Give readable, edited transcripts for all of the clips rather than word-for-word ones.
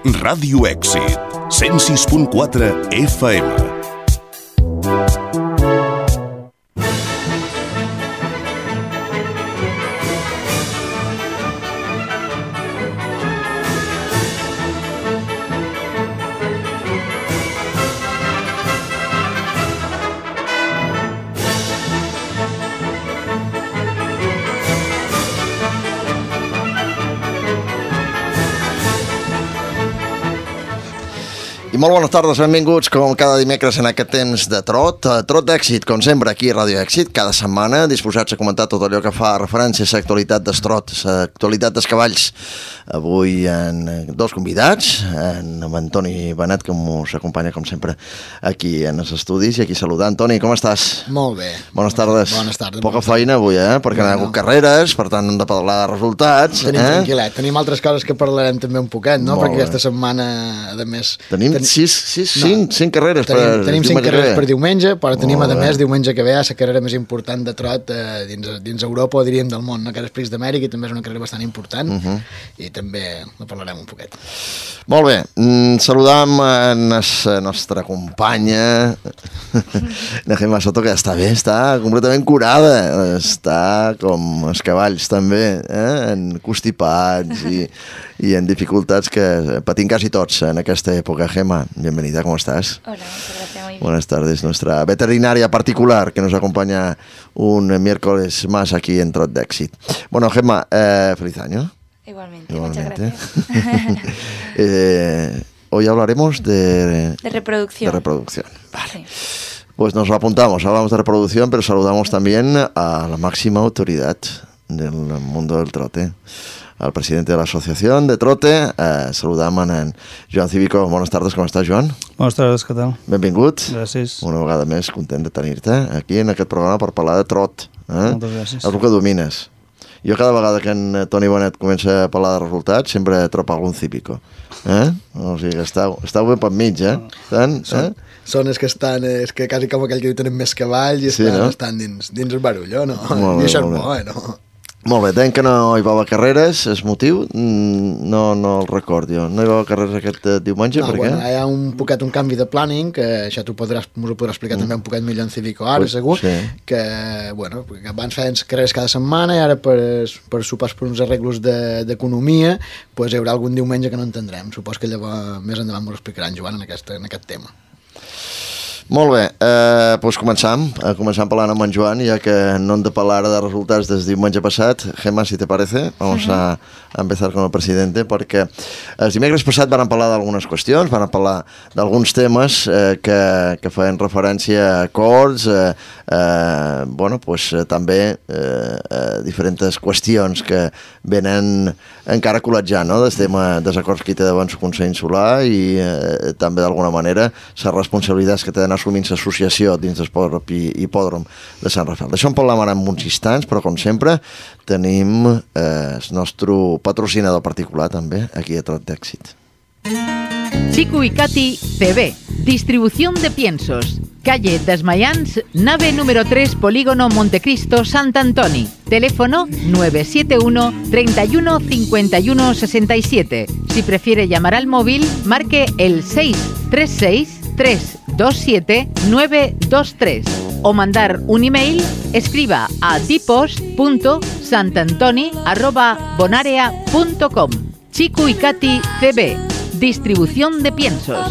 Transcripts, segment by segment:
Ràdio Èxit, 106.4 FM. I molt bones tardes, benvinguts com cada dimecres en aquest temps de trot d'èxit, com sempre aquí a Ràdio Èxit, cada setmana disposats a comentar tot allò que fa referència a l'actualitat dels trots, l'actualitat dels cavalls. Avui en dos convidats, amb Antoni Benet, que ens acompanya com sempre aquí en els estudis, i aquí saludar. Antoni, com estàs? Molt bé. Bones tardes. Bones tardes. Poca feina avui, perquè no hi ha hagut carreres, per tant hem de parlar de resultats. Tenim tranquil·let, tenim altres coses que parlarem també un poquet, no? Perquè aquesta setmana, a més... Tenim cinc carreres tenim 5 carreres per diumenge, però tenim a més diumenge que ve la carrera més important de trot dins Europa, o diríem del món, no? Que és Prix d'Amèrica, i també és una carrera bastant important, i també en parlarem un poquet. Molt bé, saludam a la nostra companya la Gemma Soto, que està bé, està completament curada, està com els cavalls també, constipats i en dificultats que patim quasi tots en aquesta època. Gemma, bienvenida, ¿cómo estás? Hola, muchas gracias, muy bien. Buenas tardes, nuestra veterinaria particular que nos acompaña un miércoles más aquí en Trot d'Èxit. Bueno, Gemma, feliz año. Igualmente. Muchas gracias. Hoy hablaremos de reproducción. De reproducción, vale. Sí. Pues nos lo apuntamos, hablamos de reproducción, pero saludamos también a la máxima autoridad del mundo del trote, al presidente de la Asociación de Trote. Saludam en Joan Cívico. Bones tardes, com estàs, Joan? Bones tardes, què tal? Benvingut. Gràcies. Una vegada més, content de tenir-te aquí en aquest programa per parlar de trot. Moltes gràcies. És el que domines. Jo cada vegada que en Toni Benet comença a parlar de resultats sempre trobo algun cípico. O sigui que estàu ben per mig, Són els que estan, és que quasi com aquell que diu tenen més cavalls i estan dins el barull, no? I això és bo, no? Molt bé, deien que no hi va haver carreres, és motiu? No el record jo. No hi va haver carreres aquest diumenge, per què? Hi ha un canvi de planning, que això m'ho podràs explicar també un poquet millor en Cívico ara, segur, que abans feien carreres cada setmana i ara per sopars per uns arreglos d'economia, hi haurà algun diumenge que no entendrem. Supos que llavors més endavant m'ho explicaran, Joan, en aquest tema. Molt bé, doncs començam parlant amb en Joan, ja que no hem de parlar de resultats des diumenge passat. Gemma, si te parece, vamos a empezar con el presidente, perquè el dimecres passat van parlar d'algunes qüestions, van parlar d'alguns temes que feien referència a acords, també diferents qüestions que venen encara col·legiant, no?, del tema dels acords que hi té davant el Consell Insular i també d'alguna manera les responsabilitats que té d'anar assumint l'associació dins del propi hipòdrom de Sant Rafael. D'això en parlem ara en uns instants, però com sempre tenim el nostre patrocinador particular també aquí a Trot d'Èxit. Chico y Katy CB, distribución de piensos. Calle Desmayans, nave número 3, Polígono Montecristo, Sant Antoni. Teléfono 971 31 51 67. Si prefiere llamar al móvil, marque el 636 327 923 o mandar un email, escriba a dipos.santantoni@bonarea.com. Chico y Katy CB, distribución de piensos.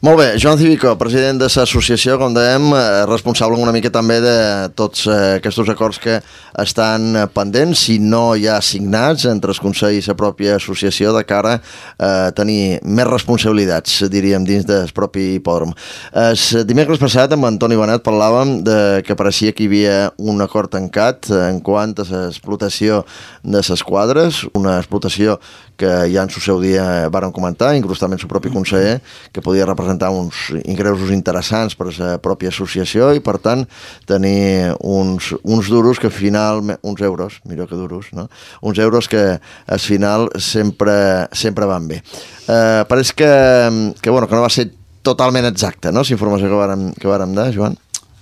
Molt bé, Joan Cívico, president de l'associació, com dèiem, responsable una mica també de tots aquests acords que estan pendents, si no hi ha signats entre els consells i la pròpia associació de cara a tenir més responsabilitats, diríem, dins del propi hipòdrom. El dimecres passat amb Antoni Benet parlàvem que pareixia que hi havia un acord tancat en quant a l'explotació de les quadres, una explotació que ja en el seu dia varen comentar, inclús també el seu propi conseller, que podia representar uns ingressos interessants per a la pròpia associació i, per tant, tenir uns duros que al final, uns euros, millor que duros, no? Uns euros que al final sempre van bé. Pareix que no va ser totalment exacta, no?, la informació que vàrem dar, Joan.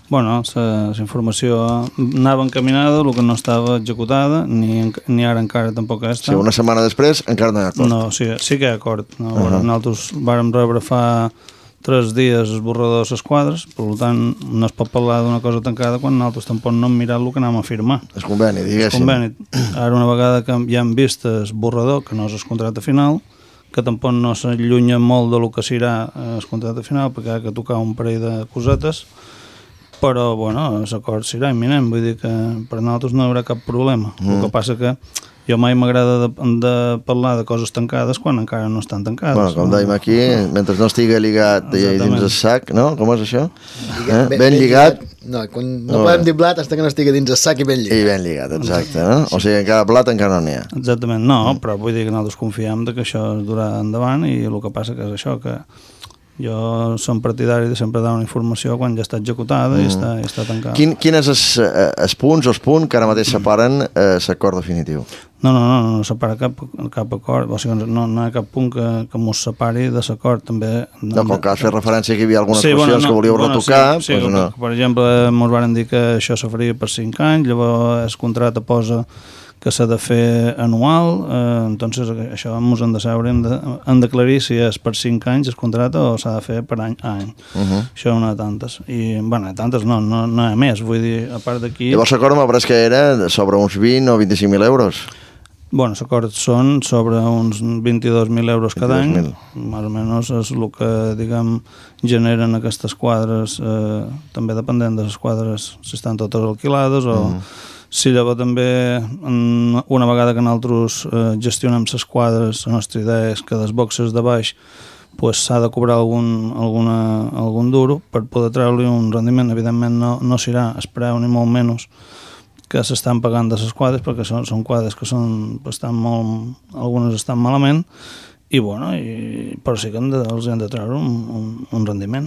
Bueno, la informació anava encaminada, el que no estava executada, ni ara encara tampoc està. Sí, una setmana després encara no hi ha acord. No, sí que hi ha acord. Nosaltres vàrem rebre fa 3 dies esborrador de les quadres, per tant no es pot parlar d'una cosa tancada quan nosaltres tampoc no hem mirat el que anem a firmar. És conveni, diguéssim. Ara una vegada que ja hem vist esborrador, que no és el contracte final, que tampoc no s'allunya molt del que serà el contracte final, perquè ha de tocar un parell de cosetes, però, bueno, l'acord serà imminent, vull dir que per nosaltres no hi haurà cap problema. El que passa que jo mai m'agrada de parlar de coses tancades quan encara no estan tancades. Bueno, com dèiem aquí, mentre no estigui lligat dins el sac, no? Com és això? Ben lligat. No podem dir blat fins que no estigui dins el sac i ben lligat. I ben lligat, exacte, no? O sigui, encara blat encara no n'hi ha. Exactament, no, però vull dir que nosaltres confiem que això es durà endavant i el que passa que és això, que jo som partidari de sempre dar una informació quan ja està executada i està tancada. Quins els punts o els punts que ara mateix separen l'acord definitiu? No separa cap acord, o sigui, no hi ha cap punt que mos separi de l'acord, també... No, com que has fet referència que hi havia algunes qüestions que volíeu retocar... Sí, no. Per exemple, ens van dir que això se faria per 5 anys, llavors el contracte posa que s'ha de fer anual, entonces això ens hem de saber, hem d'aclarir si és per 5 anys el contracte o s'ha de fer per any a any. Això no hi ha tantes. I, bueno, tantes no hi ha més, vull dir, a part d'aquí... Llavors l'acord m'ha pareix que era sobre uns 20 o 25.000 euros. Bueno, els acords són sobre uns 22.000 euros cada any, més o menys és el que, diguem, generen aquestes quadres, també depenent de les quadres, si estan totes alquilades o... Si llavors també, una vegada que nosaltres gestionem les quadres, la nostra idea és que dels boxes de baix s'ha de cobrar algun duro per poder treure-li un rendiment. Evidentment no serà el preu ni molt menys que s'estan pagant de les quadres, perquè són quadres que algunes estan malament, però sí que els hem de treure un rendiment.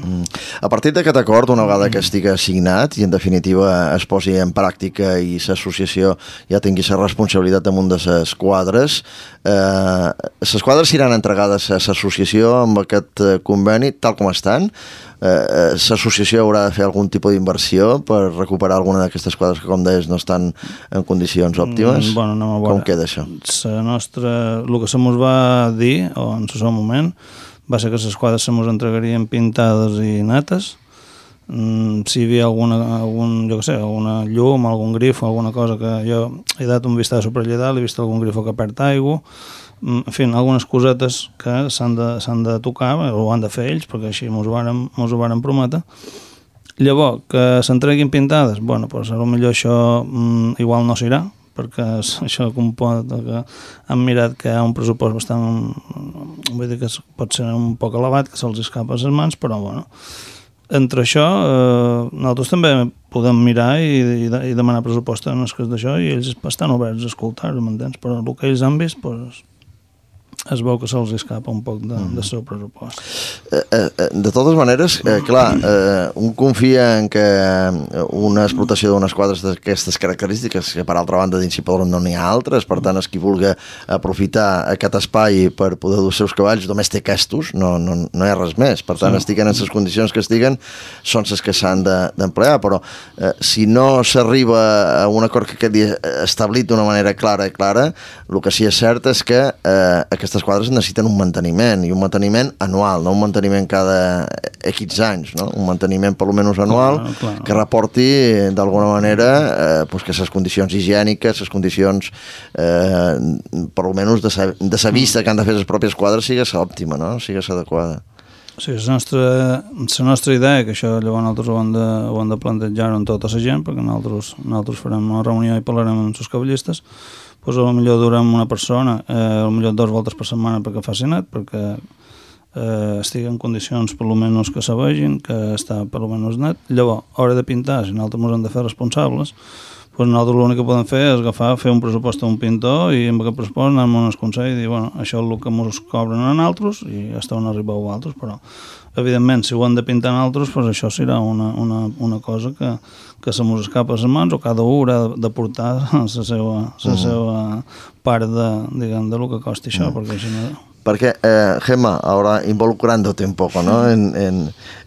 A partir d'aquest acord, una vegada que estigui signat i en definitiva es posi en pràctica i l'associació ja tingui la responsabilitat damunt de les quadres seran entregades a l'associació amb aquest conveni tal com estan? L'associació haurà de fer algun tipus d'inversió per recuperar alguna d'aquestes quadres que, com deies, no estan en condicions òptimes? Com queda això? El que se mos va dir, o en el seu moment, va ser que les quadres se mos entregarien pintades i netes. Si hi havia alguna llum, algun grifo, alguna cosa que jo he dat un vistazo per allà dalt, he vist algun grifo que perd aigua, en fi, algunes cosetes que s'han de tocar, o han de fer ells, perquè així mos ho varen prometre. Llavors, que s'entreguin pintades, bueno, doncs potser això igual no serà, perquè això comporta que han mirat que hi ha un pressupost bastant, vull dir que pot ser un poc elevat, que se'ls escapa a les mans, però bueno, entre això nosaltres també podem mirar i demanar pressupost en els cas d'això i ells estan oberts a escoltar-ho, m'entens? Però el que ells han vist, doncs, es veu que se'ls escapa un poc del seu pressupost. De totes maneres, clar, un confia en que una explotació d'unes quadres d'aquestes característiques, que per altra banda dins Cipador no n'hi ha altres, per tant, qui vulgui aprofitar aquest espai per poder dur els seus cavalls només té aquests, no hi ha res més. Per tant, estiguen en les condicions que estiguen, són les que s'han d'emplear, però si no s'arriba a un acord que quedi establit d'una manera clara, el que sí és cert és que aquestes quadres necessiten un manteniment, i un manteniment anual, no un manteniment cada X anys, no? Un manteniment per almenys anual, que reporti d'alguna manera que les condicions higièniques, les condicions per almenys de la vista que han de fer les pròpies quadres sigues òptima, no? Sigues adequada. Sí, la nostra idea, que això llavors nosaltres ho hem de plantejar amb tota la gent, perquè nosaltres farem una reunió i parlarem amb els cavallistes, doncs potser durem una persona, potser 2 voltes per setmana perquè faci net, perquè estigui en condicions per almenys que se vegin, que està per almenys net. Llavors, a hora de pintar, si nosaltres ens hem de fer responsables, doncs nosaltres l'únic que podem fer és fer un pressupost a un pintor i amb aquest pressupost anar amb un consell i dir, bueno, això és el que ens cobren a nosaltres i hasta on arribeu altres, però evidentment, si ho hem de pintar nosaltres, doncs això serà una cosa que se mos escapa a les mans o cada un haurà de portar la seva part de lo que costi això, perquè així no... Porque, Gemma, ahora involucrándote un poco, ¿no?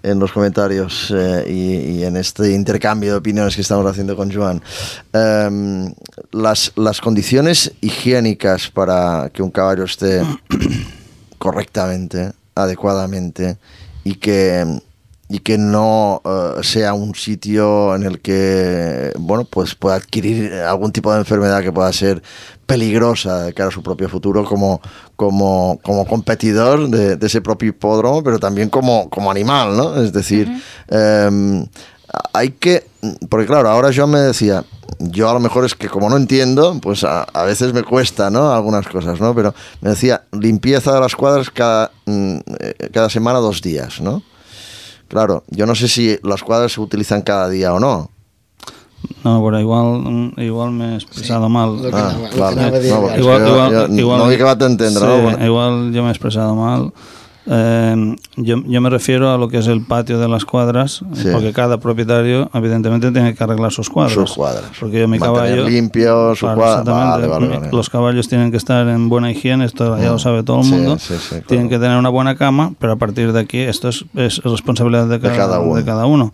en los comentarios y en este intercambio de opiniones que estamos haciendo con Joan, las condiciones higiénicas para que un caballo esté correctamente, adecuadamente, y que no sea un sitio en el que, bueno, pues pueda adquirir algún tipo de enfermedad que pueda ser peligrosa de cara a su propio futuro como competidor de ese propio hipódromo, pero también como animal, ¿no? Es decir, hay que... Porque claro, ahora Joan me decía, yo a lo mejor es que como no entiendo, pues a veces me cuesta, ¿no? Algunas cosas, ¿no? Pero me decía, limpieza de las cuadras cada semana 2 días, ¿no? Claro, yo no sé si las cuadras se utilizan cada día o no. No, pero igual me he expresado mal. Igual no he acabat d'entendre, sí, no? Bueno. Igual yo me he expresado mal. Yo me refiero a lo que es el patio de las cuadras, sí. Porque cada propietario evidentemente tiene que arreglar sus cuadras. Porque yo mi caballo limpio su cuadra. Vale. Los caballos tienen que estar en buena higiene, esto ya lo sabe todo el mundo. Sí, claro. Tienen que tener una buena cama, pero a partir de aquí esto es responsabilidad de cada uno.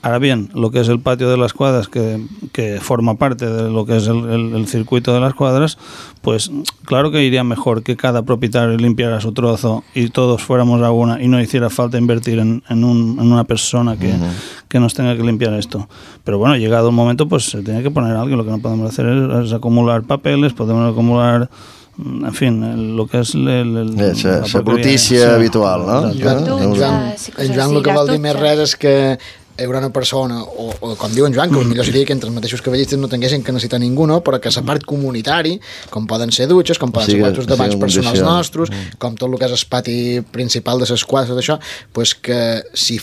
Ahora bien, lo que es el patio de las cuadras, que forma parte de lo que es el circuito de las cuadras, pues claro que iría mejor que cada propietario limpiara su trozo y todos fuéramos a una y no hiciera falta invertir en una persona que nos tenga que limpiar esto. Pero bueno, llegado un momento, pues se tiene que poner alguien. Lo que no podemos hacer es acumular papeles, podemos acumular... En fin, lo que és la brutícia habitual, no? En Joan el que vol dir més res és que hi haurà una persona, o com diu en Joan, que potser seria que entre els mateixos cavallistes no tinguessin que necessitar ningú, no? Però que la part comunitari, com poden ser dutxes, com poden ser quartos de banys personals nostres, com tot el que és el pati principal de les quadres, d'això, pues que si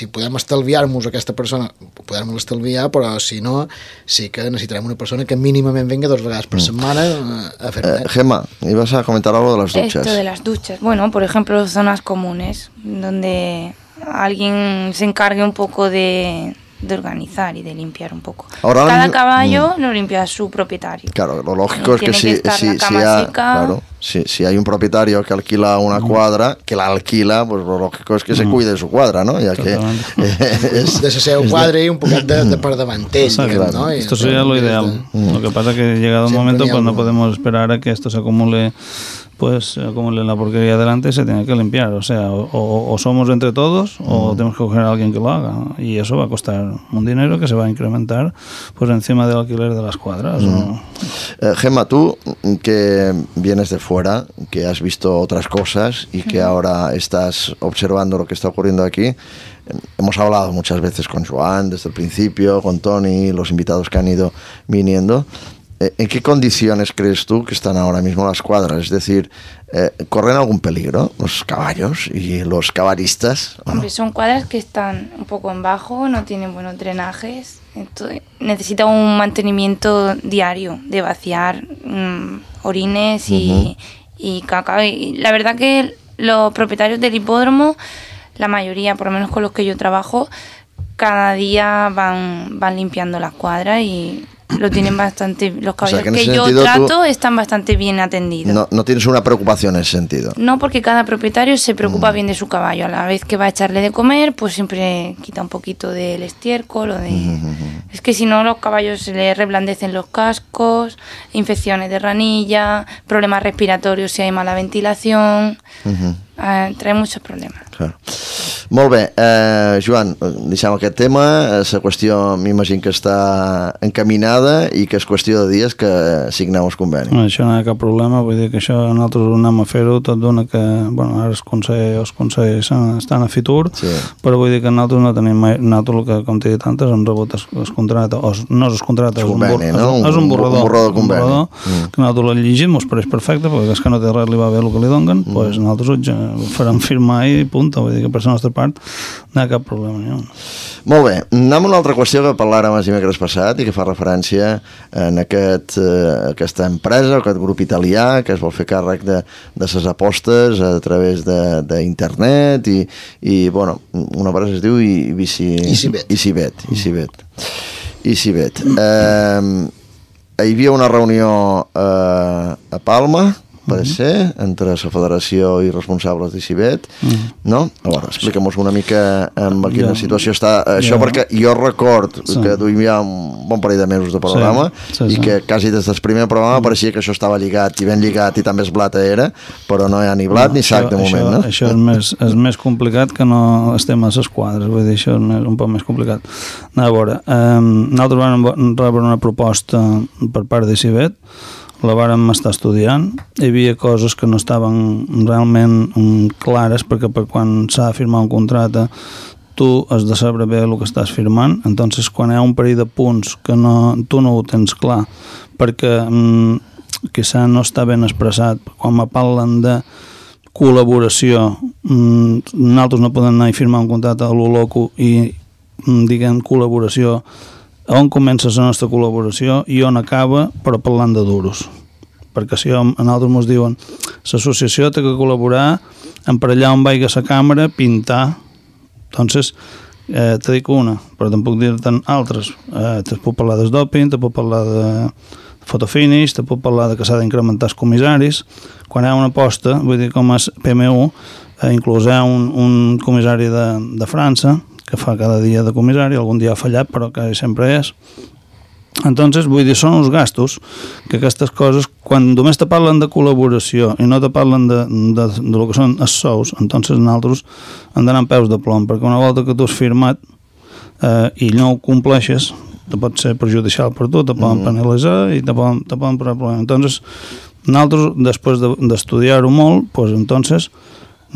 podem estalviar-nos aquesta persona, podem estalviar, però si no, sí que necessitarem una persona que mínimament venga 2 vegades per setmana a fer-ne. Gemma, ibas a comentar algo de las duchas. Esto de las duchas. Bueno, por ejemplo, zonas comunes, donde alguien se encargue un poco de organizar y de limpiar un poco. Ahora, cada caballo lo limpia su propietario. Claro, lo lógico es que si hay un propietario que alquila una cuadra, que la alquila, pues lo lógico es que se cuide de su cuadra, ¿no? Ya que de la seva cuadra y un poquet de per davanter, ¿no? Esto sería lo ideal. Lo que pasa es que llegado un momento pues no podemos esperar a que esto se acumule la porquería delante, se tiene que limpiar, o sea, o somos entre todos o tenemos que coger a alguien que lo haga, y eso va a costar un dinero que se va a incrementar pues encima del alquiler de las cuadras. Gemma, tú que vienes de fuera, que has visto otras cosas y que ahora estás observando lo que está ocurriendo aquí, hemos hablado muchas veces con Joan desde el principio, con Toni, los invitados que han ido viniendo. ¿En qué condiciones crees tú que están ahora mismo las cuadras? Es decir, ¿corren algún peligro los caballos y los caballistas? Hombre, son cuadras que están un poco en bajo, no tienen buenos drenajes, entonces necesita un mantenimiento diario de vaciar orines y caca. Y la verdad que los propietarios del hipódromo, la mayoría, por lo menos con los que yo trabajo, cada día van limpiando las cuadras y lo tienen bastante, los caballos que yo trato están bastante bien atendidos. No tienes una preocupación en ese sentido. No, porque cada propietario se preocupa bien de su caballo. A la vez que va a echarle de comer, pues siempre quita un poquito del estiércol o de... Es que si no, los caballos se les reblandecen los cascos, infecciones de ranilla, problemas respiratorios si hay mala ventilación... trae muchos problemes. Clar. Molt bé, Joan, deixem aquest tema, la qüestió m'imagino que està encaminada i que és qüestió de dies que signeu el conveni. No, això no hi ha cap problema, vull dir que això nosaltres anem a fer-ho, tot d'una que, bueno, ara els consells estan a Fitur, sí. Però vull dir que nosaltres no tenim mai, nosaltres el que, com t'he dit antes, hem rebut el contracte, no és el contracte, és un borrador de conveni. Que nosaltres el llegim, ens pareix perfecte, perquè és que no té res, li va bé el que li donen, doncs nosaltres ho farem firmar i punt, vull dir que per la nostra part no hi ha cap problema ni un. Molt bé, anem a una altra qüestió que parlàrem el dimecres passat i que fa referència en aquesta empresa, aquest grup italià que es vol fer càrrec de les apostes a través d'internet i bueno, una empresa es diu EasyBet. Hi havia una reunió a Palma, pot ser, entre la federació i responsables d'ICIBET, no? A veure, explica'm-nos una mica en quina situació està això, perquè jo record que duim ja un bon parell de mesos de programa i que quasi des del primer programa pareixia que això estava lligat i ben lligat i també es blata era, però no hi ha ni blat ni sac de moment, no? Això és més complicat que no estem a les quadres, vull dir, això és un poc més complicat. A veure, nosaltres vam rebre una proposta per part d'ICIBET, la vàrem estar estudiant, hi havia coses que no estaven realment clares, perquè per quan s'ha de firmar un contracte tu has de saber bé el que estàs firmant, entonces quan hi ha un parell de punts que tu no ho tens clar, perquè quizà no està ben expressat, quan me parlen de col·laboració, nosaltres no podem anar i firmar un contracte a lo loco i diguem col·laboració, on comença la nostra col·laboració i on acaba, però parlant de duros, perquè si a nosaltres ens diuen l'associació té que col·laborar emparellar on vaiga la càmera, pintar, entonces te dic una, però tampoc dir-te'n altres, te puc parlar del doping, te puc parlar de fotofinish, te puc parlar de que s'ha d'incrementar els comissaris, quan hi ha una aposta, vull dir com és PMU, inclús hi ha un comissari de França que fa cada dia de comissari, algun dia ha fallat però quasi sempre és. Entonces, vull dir, són uns gastos que aquestes coses, quan només te parlen de col·laboració i no te parlen de lo que són els sous, entonces nosaltres hem d'anar amb peus de plom, perquè una volta que tu has firmat i no ho compleixes, te pot ser perjudicial per tu, te poden penalitzar i te poden posar problemes. Entonces, nosaltres, després d'estudiar-ho molt, pues, entonces,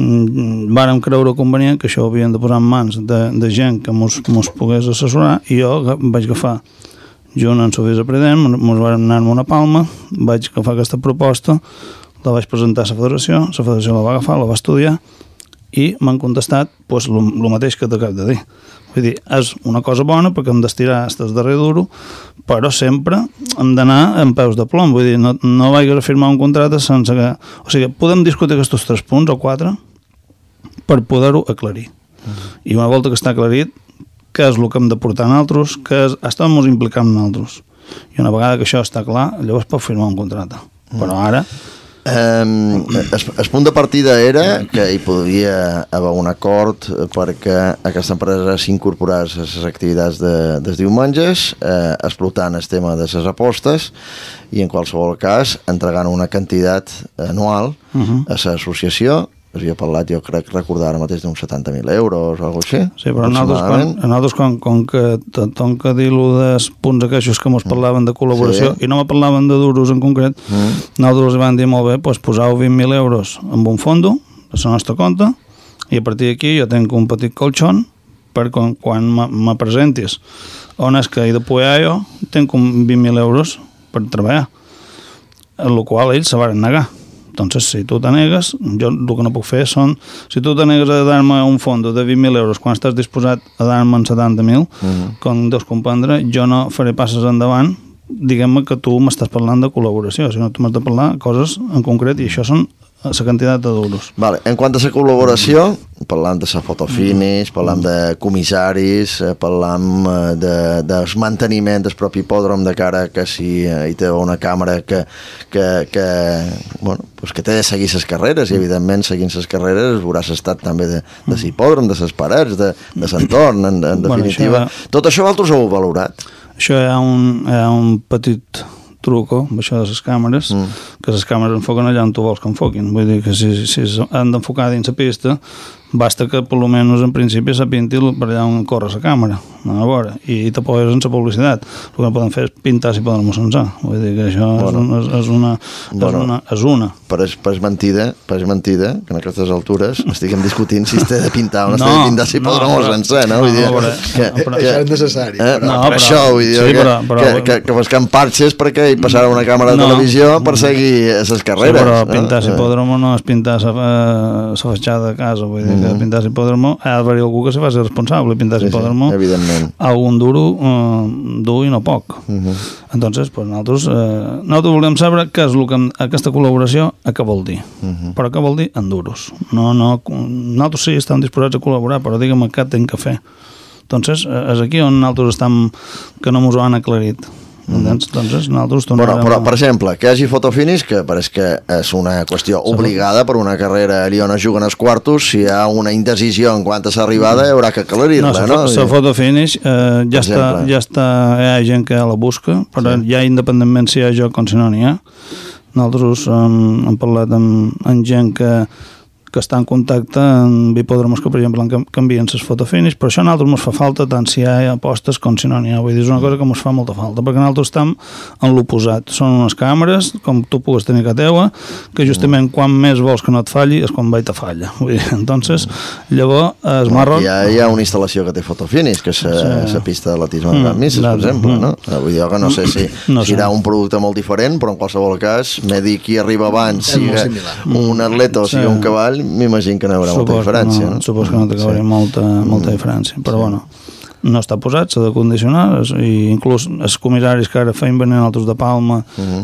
vàrem creure convenient que això ho havíem de posar en mans de gent que mos pogués assessorar i jo vaig agafar junt amb el vicepresident, mos vam anar amb una palma, vaig agafar aquesta proposta, la vaig presentar a la federació la va agafar, la va estudiar i m'han contestat pues, el mateix que t'acabo de dir. Vull dir, és una cosa bona perquè hem d'estirar fins al darrer duro, però sempre hem d'anar en peus de plom. Vull dir, no vaig a firmar un contracte sense que... O sigui, podem discutir aquests 3 punts o 4 per poder-ho aclarir. I una volta que està aclarit, què és el que hem de portar nosaltres, què és... Estem ens implicant nosaltres. I una vegada que això està clar, llavors pot firmar un contracte. Però ara... El punt de partida era que hi podia haver un acord perquè aquesta empresa s'incorporés a les activitats dels diumenges, explotant el tema de les apostes i en qualsevol cas entregant una quantitat anual a l'associació. Havia parlat, jo crec recordar ara mateix d'uns 70.000 euros o alguna cosa així. Sí, però nosaltres com que tonca dir-lo dels punts aquells que ens parlaven de col·laboració i no me parlaven de duros en concret, nosaltres els vam dir molt bé, doncs posau 20.000 euros en un fondo a la nostra compte i a partir d'aquí jo tenc un petit colxón per quan me presentis on és que he de poder jo, tenc 20.000 euros per treballar, en el qual ells se van negar. Entonces, si tu te negues, jo el que no puc fer són... Si tu te negues a dar-me un fondo de 20.000 euros quan estàs disposat a dar-me en 70.000, com deus comprendre, jo no faré passes endavant, diguem-me que tu m'estàs parlant de col·laboració, sinó tu m'has de parlar coses en concret i això són la quantitat de duros. Vale. En quant a la col·laboració, parlam de la fotofinish, parlam de comissaris, parlam del manteniment del propi hipòdrom de cara que si hi té una càmera que té de seguir les carreres i evidentment seguint les carreres veuràs estat també de l'hipòdrom, de les parets, de l'entorn, en definitiva. Tot això vosaltres ho heu valorat? Això hi ha un petit truco, això de les càmeres, que les càmeres enfoquen allà on tu vols que enfoquin. Vull dir que si han d'enfocar dins la pista, basta que per almenys en principi s'apinti per allà on corre la càmera, a veure, i te poses en la publicitat. El que no poden fer és pintar si poden mossenar. Vull dir que això és una. Però és mentida que en aquestes altures estiguem discutint si es té de pintar o no es té de pintar si podrem sencer, no? Vull dir això és necessari. Per això, vull dir que busquem parxes perquè hi passarà una càmera de televisió per seguir les carreres. Però pintar l'hipòdromo no és pintar la fatxada de casa, vull dir que pintar l'hipòdromo ha d'haver-hi algú que se faci responsable pintar l'hipòdromo, algun duro dur i no poc. Entonces, nosaltres volem saber què és aquesta col·laboració a què vol dir, però què vol dir en duros. Nosaltres sí estem disposats a col·laborar, però digue'm què hem de fer. Entonces, és aquí on nosaltres estem, que no ens ho han aclarit. Doncs nosaltres tornarem... Bueno, però, per exemple, que hi hagi fotofinish, que pareix que és una qüestió obligada per una carrera allà on es juguen els quartos, si hi ha una indecisió en quant a l'arribada, hi haurà que aclarir-la, no? La fotofinish ja està, hi ha gent que la busca, però ja independentment si hi ha joc com si no n'hi ha. Nosaltres hem parlat amb gent que està en contacte amb hipòdromos que, per exemple, canvien les fotofinish, però això a nosaltres ens fa falta tant si hi ha apostes com si no n'hi ha. Vull dir, és una cosa que ens fa molta falta, perquè nosaltres estem en l'oposat. Són unes càmeres, com tu pugues tenir que teua, que justament quan més vols que no et falli és quan te falla. Vull dir, entonces, llavors, es marron... Hi ha una instal·lació que té fotofinish, que és la pista d'atletisme de Gran Misses, per exemple, no? Vull dir, que no sé si serà un producte molt diferent, però en qualsevol cas, m'he dit qui arriba abans, siga un atleta o sigui un cavall, m'imagino que no hi haurà molta diferència. Suposo que no té que haver molta diferència, però bueno, no està posat, s'ha de condicionar, i inclús els comissaris que ara feien venir altres de Palma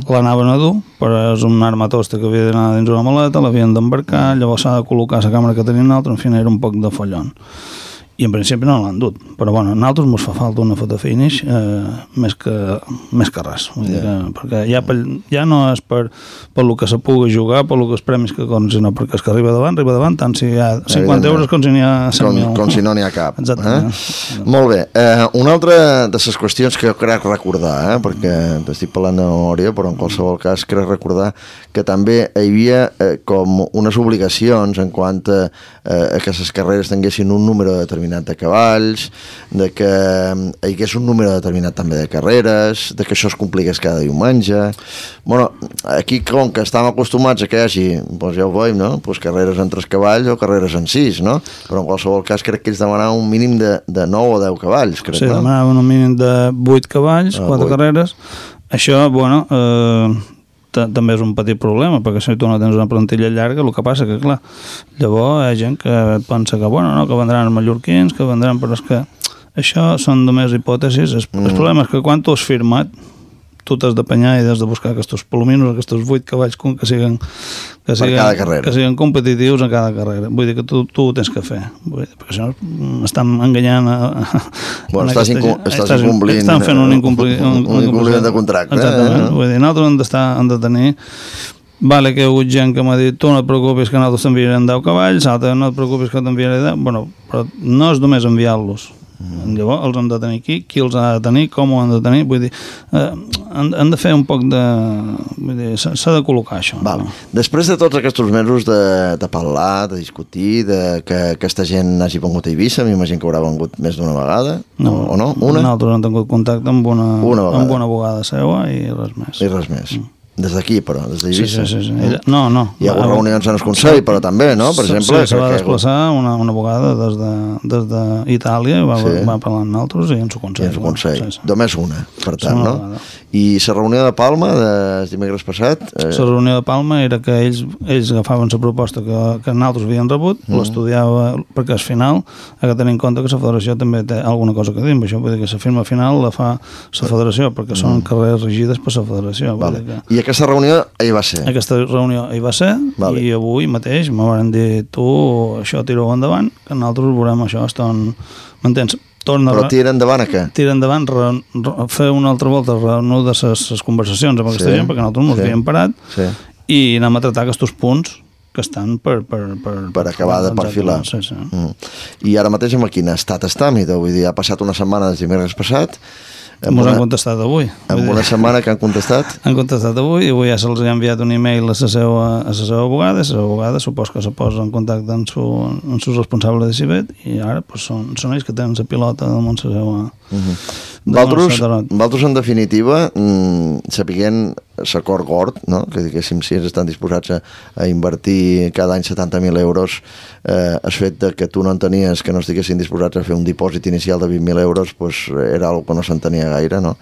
l'anaven a dur, però és un armatosta que havia d'anar dins una maleta, l'havien d'embarcar, llavors s'ha de col·locar la càmera que tenien l'altre, en fi, era un poc de follon. I en principi no l'han dut, però bueno, a nosaltres ens fa falta una fotofinish més que res, vull dir que, perquè ja no és per el que se pugui jugar, per els premis que con, sinó perquè és que arriba davant, tant si hi ha 50 euros com si n'hi ha 100.000. Com si no n'hi ha cap. Exactament. Molt bé. Una altra de les qüestions que crec recordar, perquè t'estic parlant de memòria, però en qualsevol cas crec recordar que també hi havia com unes obligacions en quant a que les carreres tinguessin un número determinat de cavalls, de que hi hagués un número determinat també de carreres, de que això es compliqués cada diumenge. Bueno, aquí com que estàvem acostumats a que hi hagi, doncs ja ho veiem, no? Pues carreres en 3 cavalls o carreres en 6, no? Però en qualsevol cas crec que ells demanaven un mínim de 9 o 10 cavalls, crec, no? Sí, demanaven un mínim de 8 cavalls, 4 carreres. Això, bueno, també és un petit problema, perquè si tu no tens una plantilla llarga, el que passa que, clar, llavors hi ha gent que pensa que, bueno, no, que vendran els mallorquins, que vendran, però és que això són només hipòtesis. El problema és que quan tu has firmat, tu t'has d'apanyar i has de buscar aquests palominos, aquests 8 cavalls que siguin competitius en cada carrera. Vull dir que tu ho tens que fer, perquè si no estan enganyant bueno, estàs incomplint, estan fent un incompliment de contracte. Exactament, vull dir, nosaltres hem de tenir. Vale, que hi ha hagut gent que m'ha dit tu no et preocupis que nosaltres t'enviarem 10 cavalls, no et preocupis que t'enviaré 10, bueno, però no és només enviar-los. Llavors els hem de tenir aquí, qui els ha de tenir, com ho han de tenir, vull dir, han de fer un poc de... Vull dir, s'ha de col·locar això. Val. No? Després de tots aquests mesos de parlar, de discutir, de que aquesta gent hagi vengut a Eivissa, m'imagino que haurà vengut més d'una vegada, o no? Una? Nosaltres hem tingut contacte amb una abogada seva i res més. I res més. Des d'aquí, però, des d'Eivissa. Sí. No. Hi ha hagut reunions en el Consell, però també, no? Per exemple... Sí, se va desplaçar una abogada des d'Itàlia, va parlar amb nosaltres i en su Consell. I en su Consell. Només una, per tant, no? I la reunió de Palma, de dimecres passat... La reunió de Palma era que ells agafaven la proposta que nosaltres havien rebut, l'estudiava, perquè al final ha de tenir en compte que la federació també té alguna cosa que dir, això vull dir que la firma final la fa la federació, perquè són carreres regides per la federació. I aquesta reunió hi va ser? Aquesta reunió hi va ser, i avui mateix me van dir, tu, això tira-ho endavant, que nosaltres veurem això, m'entens? Però tira endavant a què? Tira endavant, fer una altra volta, reanudar les conversacions amb aquesta gent, perquè nosaltres ens havíem parat, i anem a tractar aquests punts que estan per acabar de perfilar. I ara mateix en quin estat està? Vull dir, ha passat una setmana des dimecres passat. Ens han contestat avui. En una setmana que han contestat? Han contestat avui i avui ja se'ls ha enviat un e-mail a la seva abogada, i la seva abogada supos que se posa en contacte amb su responsable de Cibet i ara són ells que tenen la pilota damunt la seva... Valtros, en definitiva, sapiguent l'acord Gord, no? Que diguéssim, si ells estan disposats a invertir cada any 70.000 euros, el fet que tu no entenies que no estiguessin disposats a fer un dipòsit inicial de 20.000 euros, pues, era una cosa que no s'entenia gaire, no?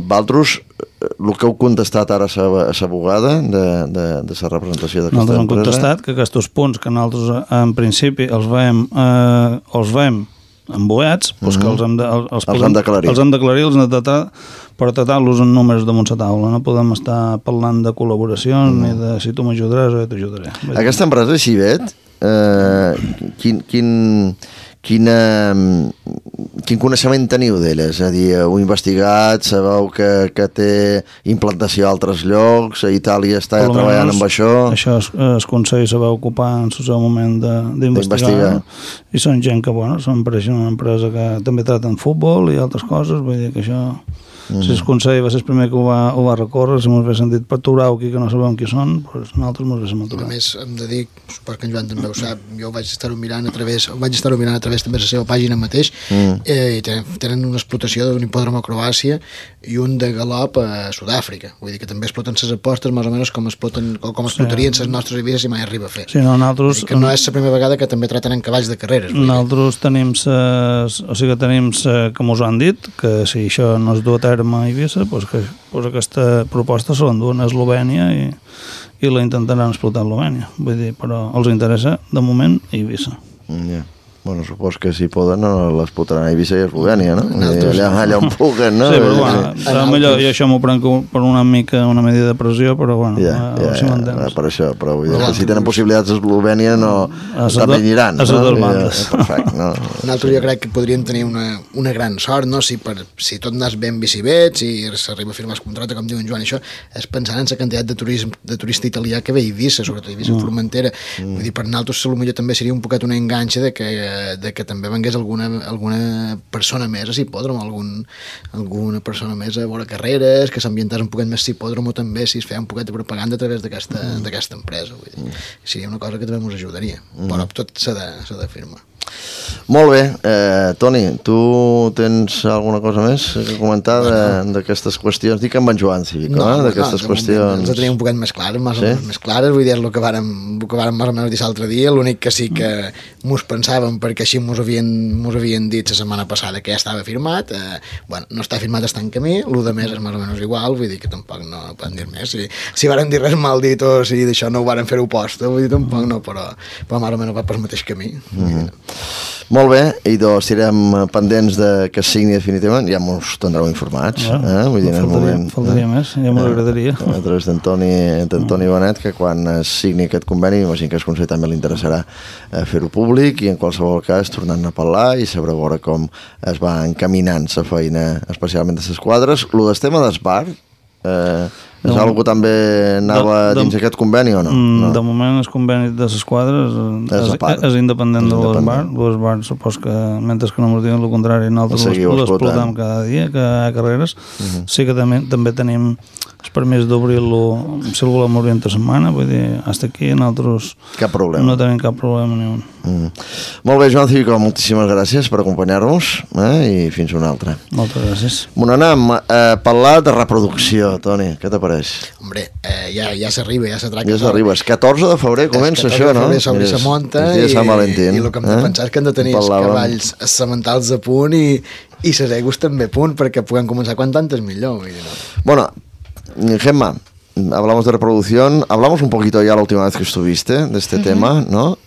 Valtros, el que heu contestat ara a l'abogada de la representació d'aquesta empresa... Nosaltres hem contestat que aquests punts que nosaltres en principi els veiem emboiats, doncs que els hem d'aclarir, els hem de tratar per tratar-los en números damunt la taula. No podem estar parlant de col·laboracions ni de si tu m'ajudaràs o jo t'ajudaré. Aquesta empresa, Cibet, quin coneixement teniu d'elles? És a dir, heu investigat, sabeu que té implantació a altres llocs, a Itàlia està treballant amb això? Això el Consell se va ocupar en el seu moment d'investigar, i són gent que, bueno, pareixen una empresa que també traten futbol i altres coses, vull dir que això... Si el Consell va ser el primer que ho va recórrer, si mos ve sentit per aturar aquí que no sabem qui són, doncs nosaltres mos ve aturar. A més, hem de dir, suposo que en Joan també ho sap, jo vaig estar-ho mirant a través també de la seva pàgina mateix, i tenen una explotació d'un hipòdrom a Croàcia i un de galop a Sud-àfrica. Vull dir que també exploten les apostes més o menys com explotarien les nostres Ibises si mai arriba a fer. Sí, no, nosaltres... Que no és la primera vegada que també traten en cavalls de carreres. Nosaltres tenim que mos han dit que si això no es du a terme a Eivissa, doncs aquesta proposta se l'enduen a Eslovènia i la intentaran explotar a Eslovènia. Vull dir, però els interessa, de moment, Eivissa. Bueno, supos que si poden no l'explotaran a Eivissa i a Eslovènia, no? Allà on puguen, no? Sí, però bueno, millor, jo això m'ho prenc per una medida de pressió, però bueno, si m'entens. Per això, però vull dir que si tenen possibilitats a Eslovènia no també aniran. A les dues bandes. Perfecte, no? Nosaltres jo crec que podríem tenir una gran sort, no? Si tot anés ben bicibet, si s'arriba a firmar el contracte, com diu en Joan, això és pensant en la quantitat de turista italià que ve a Eivissa, sobretot a Eivissa Formentera. Vull dir, per nosaltres potser també seria un poquet una enganxa de que també vengués alguna persona més a l'hipòdrom, alguna persona més a veure carreres, que s'ambientàs un poquet més a l'hipòdrom, o també si es feia un poquet de propaganda a través d'aquesta empresa. Vull dir, seria una cosa que també ens ajudaria, però tot s'ha de firmar. Molt bé, Toni, tu tens alguna cosa més que comentar d'aquestes qüestions? Dic amb en Joan Cívico, d'aquestes qüestions. Ens tenim un poquet més clares, més clares, vull dir, el que vàrem més o menys dir l'altre dia, l'únic que sí que mos pensàvem, perquè així mos havien dit la setmana passada que ja estava firmat, no està firmat, està en camí, el de més és més o menys igual, vull dir que tampoc no poden dir més, si varen dir res mal dit o si d'això no ho varen fer oposta, vull dir, tampoc no, però més o menys va pel mateix camí. Molt bé, i doncs estarem pendents que es signi definitivament, ja ens tindreu informats. Vull dir, faltaria més, ja m'agradaria. A través d'Antoni Bonet, que quan es signi aquest conveni, imagino que el Consell també li interessarà fer-ho públic i en qualsevol cas tornant a parlar i saber veure com es va encaminant la feina, especialment de les quadres. El del tema d'Esbar, és algo que també anava dins aquest conveni o no? De moment el conveni de les quadres és independent de l'Esbar. L'Esbar supos que mentre que no ens diuen el contrari nosaltres l'explotam cada dia que hi ha carreres. Sí que també tenim el permís d'obrir-lo si el volem obrir entre setmana, vull dir, fins aquí nosaltres no tenim cap problema ni un. Molt bé, Joan Cívico, moltíssimes gràcies per acompanyar-nos i fins una altra. Moltes gràcies. Anem a parlar de reproducció, Toni, què t'apareix? Hombre, ja s'arriba, ja s'atraca. Ja s'arriba, el 14 de febrer comença això, no? El 14 de febrer s'obri la munta i el que hem de pensar és que hem de tenir els cavalls sementals a punt i les egos també a punt perquè puguem començar quan tantes millor. Bueno, Gemma, hablamos de reproducción, hablamos un poquito ya la última vez que estuviste de este tema, ¿no?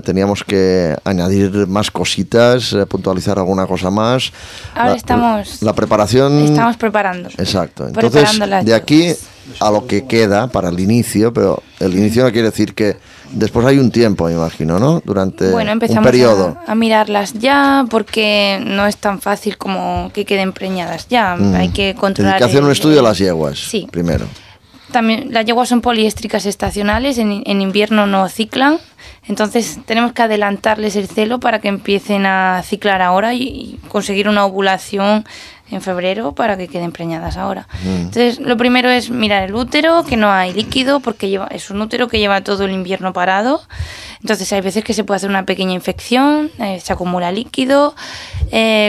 Teníamos que añadir más cositas, puntualizar alguna cosa más. Ahora la preparación... Estamos preparando. Exacto. Entonces, de aquí a lo que queda para el inicio, pero el inicio no quiere decir que después hay un tiempo, me imagino, ¿no? Durante un periodo. A mirarlas ya, porque no es tan fácil como que queden preñadas ya. Hay que controlar... Hay que hacer un estudio de las yeguas, sí. Primero. También las yeguas son poliéstricas estacionales, en invierno no ciclan, entonces tenemos que adelantarles el celo para que empiecen a ciclar ahora y conseguir una ovulación en febrero para que queden preñadas ahora. Entonces lo primero es mirar el útero, que no hay líquido, porque es un útero que lleva todo el invierno parado, entonces hay veces que se puede hacer una pequeña infección, se acumula líquido,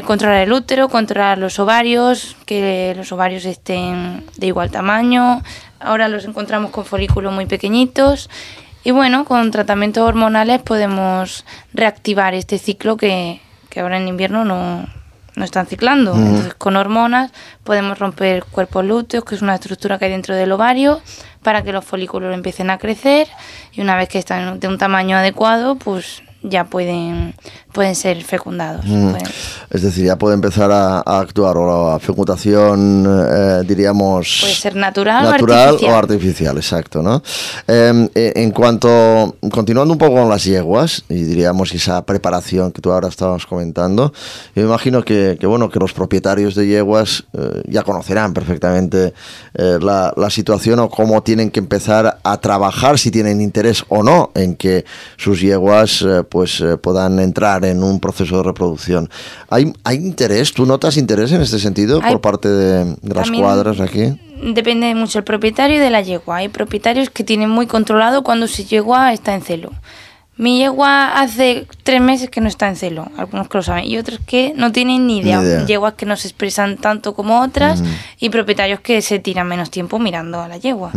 controlar el útero, controlar los ovarios, que los ovarios estén de igual tamaño. Ahora los encontramos con folículos muy pequeñitos y bueno, con tratamientos hormonales podemos reactivar este ciclo que ahora en invierno no están ciclando. Entonces con hormonas podemos romper cuerpos lúteos, que es una estructura que hay dentro del ovario, para que los folículos empiecen a crecer y una vez que están de un tamaño adecuado, pues ya pueden pueden ser fecundados. Es decir, ya puede empezar a actuar, o la fecundación, diríamos... Puede ser natural o artificial, exacto, ¿no? En cuanto, continuando un poco con las yeguas, y diríamos esa preparación que tú ahora estabas comentando, yo me imagino que los propietarios de yeguas ya conocerán perfectamente la situación o cómo tienen que empezar a trabajar, si tienen interés o no en que sus yeguas puedan entrar en un proceso de reproducción. ¿Hay interés? ¿Tú notas interés en este sentido por parte de las cuadras aquí? Depende mucho el propietario de la yegua. Hay propietarios que tienen muy controlado cuando su yegua está en celo. Mi yegua hace 3 meses que no está en celo, algunos que lo saben, y otros que no tienen ni idea. Yeguas que no se expresan tanto como otras y propietarios que se tiran menos tiempo mirando a la yegua.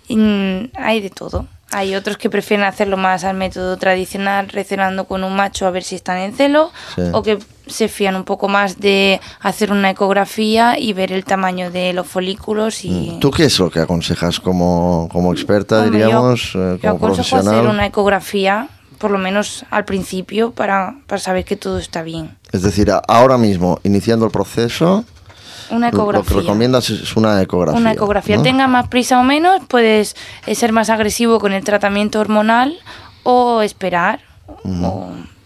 Hay de todo. Hay otros que prefieren hacerlo más al método tradicional, recenando con un macho a ver si están en celo, o que se fían un poco más de hacer una ecografía y ver el tamaño de los folículos. Y... ¿Tú qué es lo que aconsejas como experta, diríamos, como yo aconsejo profesional? Hacer una ecografía, por lo menos al principio, para saber que todo está bien. Es decir, ahora mismo, iniciando el proceso... Una ecografía. Lo que recomiendas es una ecografía. Una ecografía. ¿No? Tenga más prisa o menos, puedes ser más agresivo con el tratamiento hormonal o esperar.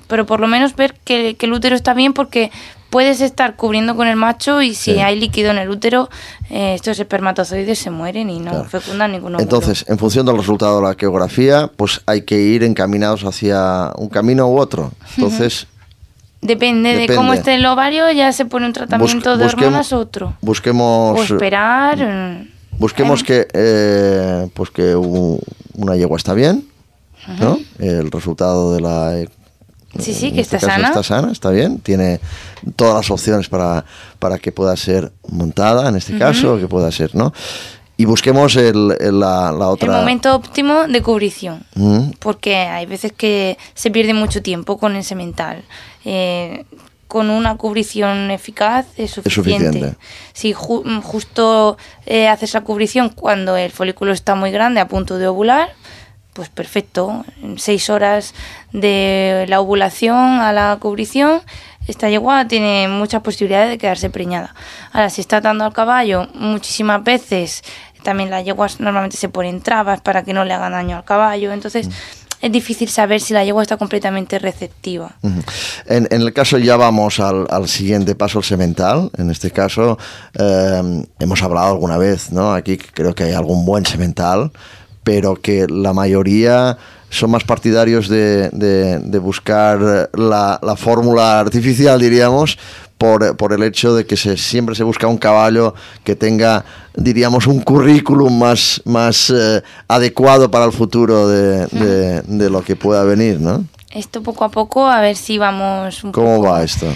Pero por lo menos ver que el útero está bien, porque puedes estar cubriendo con el macho y si hay líquido en el útero, estos espermatozoides se mueren y no fecundan ningún óvulo. Entonces, en función del resultado de la ecografía, pues hay que ir encaminados hacia un camino u otro. Entonces... Depende de cómo esté el ovario, ya se pone un tratamiento de hormonas u otro. Busquemos... O esperar... Busquemos que una yegua está bien, ¿no? El resultado de la... que está sana. Está sana, está bien. Tiene todas las opciones para que pueda ser montada, en este caso, que pueda ser, ¿no? Y busquemos la otra... El momento óptimo de cubrición, porque hay veces que se pierde mucho tiempo con el semental. Con una cubrición eficaz es suficiente. Si justo haces la cubrición cuando el folículo está muy grande, a punto de ovular, pues perfecto. En 6 horas de la ovulación a la cubrición, esta yegua tiene muchas posibilidades de quedarse preñada. Ahora, si está atando al caballo muchísimas veces, también las yeguas normalmente se ponen trabas para que no le hagan daño al caballo, entonces es difícil saber si la yegua está completamente receptiva. En el caso, ya vamos al siguiente paso, el semental. En este caso, hemos hablado alguna vez, ¿no? Aquí creo que hay algún buen semental, pero que la mayoría son más partidarios de buscar la fórmula artificial, diríamos, por el hecho de que siempre se busca un caballo que tenga, diríamos, un currículum más adecuado para el futuro de lo que pueda venir, ¿no? Esto poco a poco, a ver si vamos un ¿Cómo poco... va esto?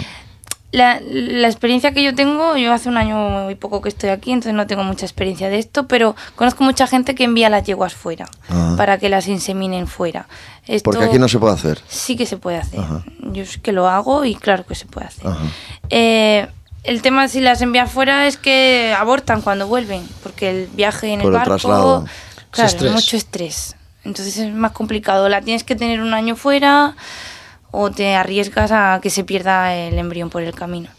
La experiencia que yo tengo, yo hace un año y poco que estoy aquí, entonces no tengo mucha experiencia de esto, pero conozco mucha gente que envía las yeguas fuera, para que las inseminen fuera. Esto porque aquí no se puede hacer. Sí que se puede hacer. Yo es que lo hago y claro que se puede hacer. El tema de si las envías fuera es que abortan cuando vuelven, porque el viaje en el barco, traslado. Claro, mucho estrés. Entonces es más complicado. La tienes que tener un año fuera, o te arriesgas a que se pierda el embrión por el camino.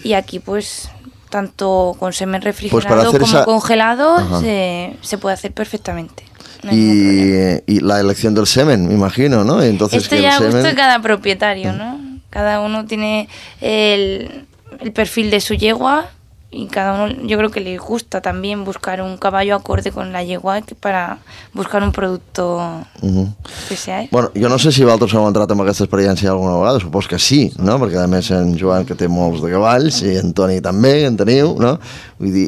Y aquí, pues, tanto con semen refrigerado como congelado, se puede hacer perfectamente. No y la elección del semen, me imagino, ¿no? Entonces, esto ya gusta de cada propietario, ¿no? Cada uno tiene el perfil de su yegua, y cada uno, yo creo que le gusta también buscar un caballo acorde con la yegua para buscar un producto que sea. Bueno, jo no sé si vosaltres heu entrat en aquesta experiència alguna vegada, supos que sí, no? Perquè a més en Joan, que té molts de cavalls, i en Toni també, en teniu, no? Vull dir,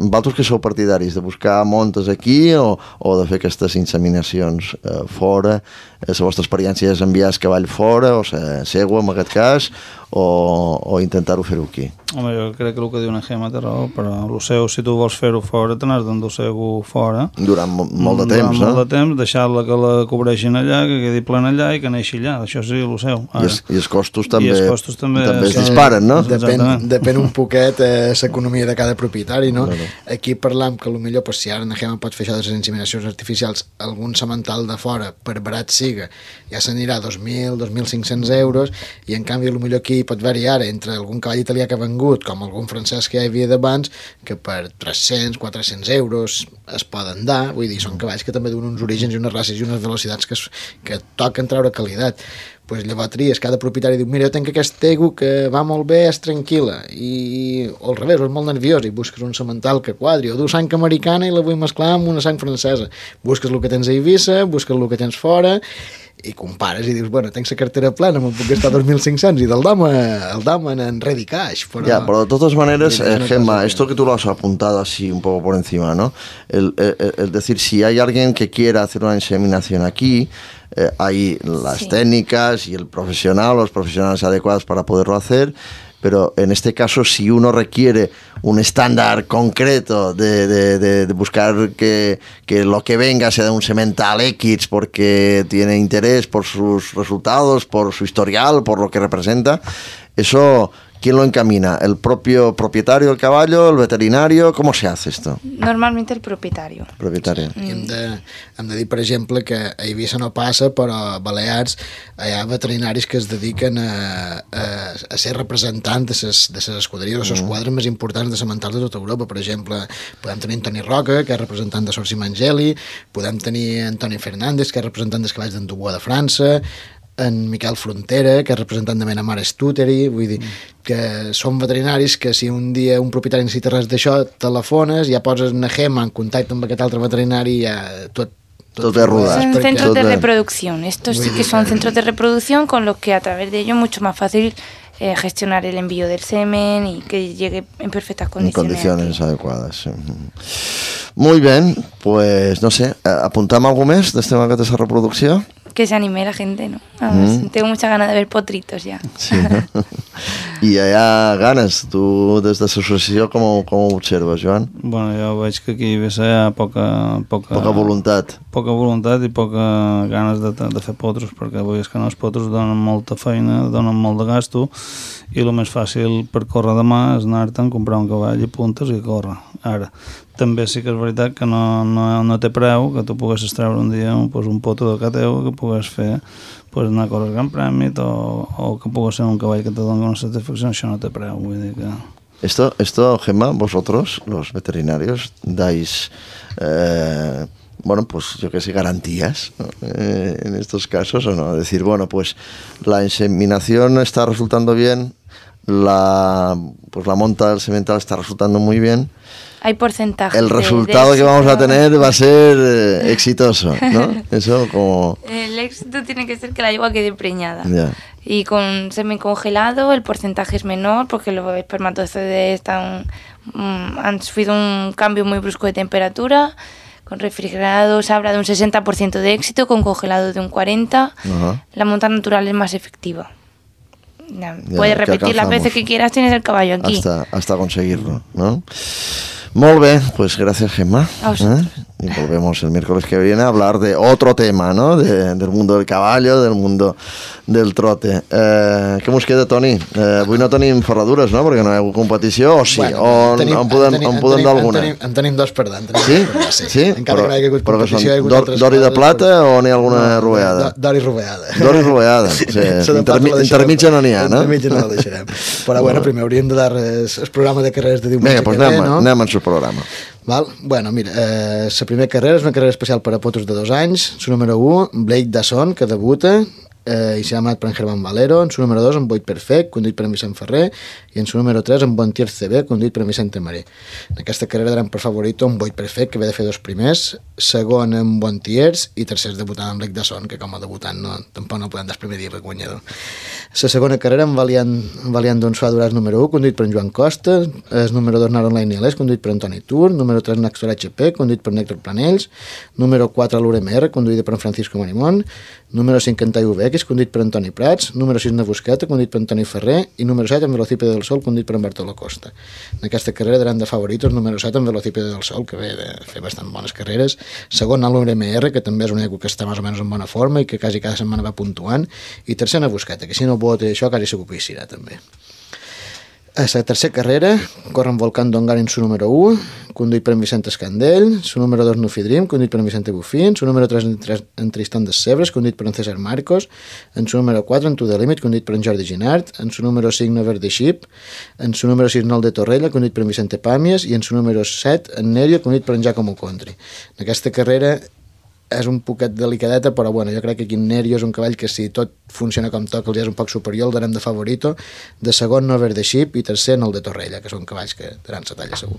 vosaltres que sou partidaris de buscar montes aquí o de fer aquestes inseminacions fora? La vostra experiència és enviar el cavall fora, o segua en aquest cas, o intentar-ho fer-ho aquí? Home, jo crec que el que diu una Gemma té raó, però el seu, si tu vols fer-ho fora, te n'has d'endur-ho fora. Durant molt de temps, no? Durant molt de temps, deixar-la que la cobreixin allà, que quedi plena allà i que neixi allà. Això sí, el seu. I els costos també es disparen, no? Depèn un poquet l'economia de cada propietari propietari, no? Aquí parlam que potser si ara Nagema pot fer això de les inseminacions artificials, algun semental de fora, per barat siga, ja s'anirà a 2.000, 2.500 euros, i en canvi potser aquí pot variar entre algun cavall italià que ha vengut, com algun francès que ja hi havia d'abans, que per 300, 400 euros es poden dar, vull dir, són cavalls que també donen uns orígens i unes races i unes velocitats que toquen treure qualitat. Pues llavors tries, cada propietari diu, mira, jo tenc aquest tegu que va molt bé, és tranquil·la, o al revés, o és molt nerviós i busques un semental que quadri, o du sang americana i la vull mesclar amb una sang francesa. Busques el que tens a Eivissa, busques el que tens fora, i compares i dius, bueno, tenc la cartera plena, me'n puc gastar 2.500 i del dama en ready cash. Pero de todas maneras, Gemma, esto que tú lo has apuntado así un poco por encima, ¿no? El decir, si hay alguien que quiera hacer una inseminación aquí, hay las técnicas y el profesional, los profesionales adecuados para poderlo hacer, pero en este caso si uno requiere un estándar concreto de buscar que lo que venga sea de un semental X porque tiene interés por sus resultados, por su historial, por lo que representa, eso... ¿Quién lo encamina? ¿El propio propietario del caballo? ¿El veterinario? ¿Cómo se hace esto? Normalmente el propietario. I hem de dir, per exemple, que a Eivissa no passa, però a Balears hi ha veterinaris que es dediquen a ser representants de les escuderies o les quadres més importants de sementals de tota Europa. Per exemple, podem tenir Antoni Roca, que és representant de Sorsi Mangeli, podem tenir Antoni Fernández, que és representant dels cavalls d'en Dubois de França, en Miquel Frontera, que és representant de Menamar Stuteri, vull dir que són veterinaris que si un dia un propietari necessita res d'això, telefones, ja poses Nagema en contacte amb aquest altre veterinari i ja tot es ruda. Son centros de reproducción. Estos sí que son centros de reproducción con los que a través de ellos es mucho más fácil gestionar el envío del semen y que llegue en perfectas condiciones. En condiciones adecuadas. Sí. Muy bien, pues no sé, ¿apuntamos algo més d'este mercat de reproducció? Que se anime la gente, ¿no? Vamos, tengo muchas ganas de ver potritos ya. Sí, ¿no? I hi ha ganes. Tu, des de l'associació, com ho observes, Joan? Bueno, jo veig que aquí a Eivissa hi ha poca voluntat. Poca voluntat i poca ganes de fer potros, perquè avui és que no, els potros donen molta feina, donen molt de gasto, i el més fàcil per córrer demà és anar-te'n, comprar un cavall i puntes i córrer. Ara, també sí que és veritat que no té preu que tu poguessis treure un dia un potro de cateu que pugues fer anar a córrer el Gran Premi o que pugues ser un cavall que te doni una satisfacció, això no té preu, vull dir que... Esto, Gemma, vosotros, los veterinarios, dais... bueno, pues yo qué sé, garantías, ¿no? En estos casos, ¿o no? Decir, bueno, pues la inseminación está resultando bien, la monta del semental está resultando muy bien. Hay porcentaje. El resultado que vamos a tener va a ser exitoso, ¿no? Eso como... El éxito tiene que ser que la yegua quede preñada. Yeah. Y con semen congelado el porcentaje es menor porque los espermatozoides han sufrido un cambio muy brusco de temperatura. Con refrigerado se habla de un 60% de éxito, con congelado de un 40%. La monta natural es más efectiva. Puedes repetir las veces que quieras, tienes el caballo aquí. Hasta conseguirlo, ¿no? Molt bé, pues gracias, Gemma. Y volvemos el miércoles que viene a hablar de otro tema, ¿no? Del mundo del caballo, del mundo del trote. Què mos queda, Toni? Avui no tenim ferradures, no? Perquè no hi ha hagut competició, o sí? Bueno, en podem dar alguna? En tenim dos per tant. Sí? Encara que no hi ha hagut competició. D'or i de plata o n'hi ha alguna roveada? D'or i roveada. D'or i roveada. Intermitja no n'hi ha, no? Intermitja no la deixarem. Però bueno, primer hauríem de dar el programa de carreres de diumenge que ve, no? Anem al seu programa. Val? Bueno, mira, la primera carrera és una carrera especial per a potros de 2 anys. Su número 1, Blake Dasson, que debuta, i s'ha amat per en Germán Valero. En su número 2, en Boit Perfect, conduït per en Vicent Ferrer, i en su número 3, en Bontier CB, conduït per en Vicente Maré. En aquesta carrera daran per favorito en Boit Perfect, que ve de fer 2 primers, segon en Bontiers i tercers debutant en Blake Dasson, que com a debutant tampoc no podem dar el primer dia per guanyador. La segona carrera en Valiant d'Onsua Duràs número 1, conduït per en Joan Costa, el número 2 Naron Line Nielés, conduït per Antoni Tur, número 3 Naxor HP, conduït per Néctor Planells, número 4 l'URMR, conduïda per en Francisco Marimón, número 5 en TUVX, conduït per Antoni Prats, número 6 Navusqueta, conduït per Antoni Ferrer, i número 7 en Velocípede del Sol, conduït per en Bartolo Costa. En aquesta carrera daran de favoritos número 7 en Velocípede del Sol, que ve de fer bastant bones carreres, segon a l'URMR, que també és un eco que està més o menys en bona forma i que quasi cada setmana va puntuant, i tercer Navusqueta, que si no vota això quasi segur que hi serà també. A la tercera carrera corren Volcán d'Ongar en su número 1, conduït per en Vicent Escandell, su número 2 Nufi Dream, conduït per en Vicente Bufín, su número 3 en Tristan des Sebres, conduït per en César Marcos, en su número 4 en To The Limit, conduït per en Jordi Ginart, en su número 5 Never the Ship, en su número 6 Nol de Torrella, conduït per en Vicente Pàmies, i en su número 7 en Nerio, conduït per en Giacomo Contri. En aquesta carrera és un poquet delicadeta, però bueno, jo crec que aquí en Nerio és un cavall que si tot funciona com toca, els és un poc superior, el darem de favorito, de segon Never the Ship i tercer Nol de Torrella, que són cavalls que daran sa talla segur.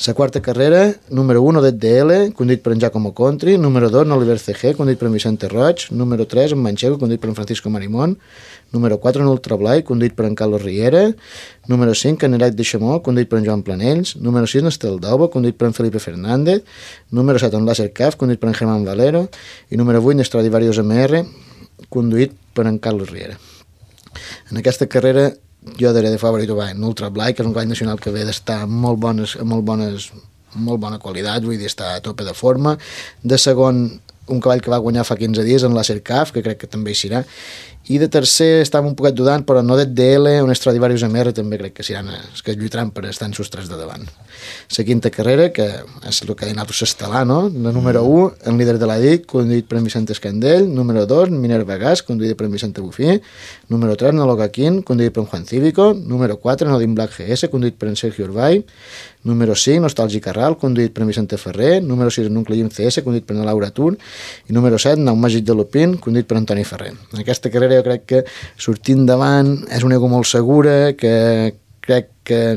La quarta carrera, número 1 DL, conduït per en Giacomo Contri, número 2 Oliver CG, conduït per en Vicente Roig, número 3 en Manchego, conduït per en Francisco Marimón, número 4 en Ultra Blai, conduït per en Carlos Riera, número 5 en Erac de Chamó, conduït per en Joan Planells, número 6 en Estel d'Obo, conduït per en Felipe Fernández, número 7 en Láser Caf, conduït per en Germán Valero, i número 8 en Stradivarius MR, conduït per en Carlos Riera. En aquesta carrera jo daré de favorit en Ultra Blai, que és un cavall nacional que ve d'estar molt bona qualitat, vull dir, està a tope de forma. De segon, un cavall que va guanyar fa 15 dies en Láser Caf, que crec que també hi serà. I de tercer estava un poquet dudant, però no DL, un Stradivarius MR també crec que seran els que lluitaran per estar en sus tres de davant. La quinta carrera, que és el que ha dit s'estelà, no? La número 1, en líder de la DIC, conduït per en Vicent Escandell, número 2, Minerva Gas, conduït per en Vicente Bufí, número 3, Nologa Quín, conduït per en Juan Cívico, número 4, Nodin Black GS, conduït per en Sergio Urbay, número 5, Nostàlgic Carral, conduït per en Vicente Ferrer, número 6, Nucleim CS, conduït per en Laura Tur, i número 7, Nau Màgic de Lupin, conduït per Antoni Ferrer. En aquesta carrera jo crec que sortint davant és una ego molt segura, que crec que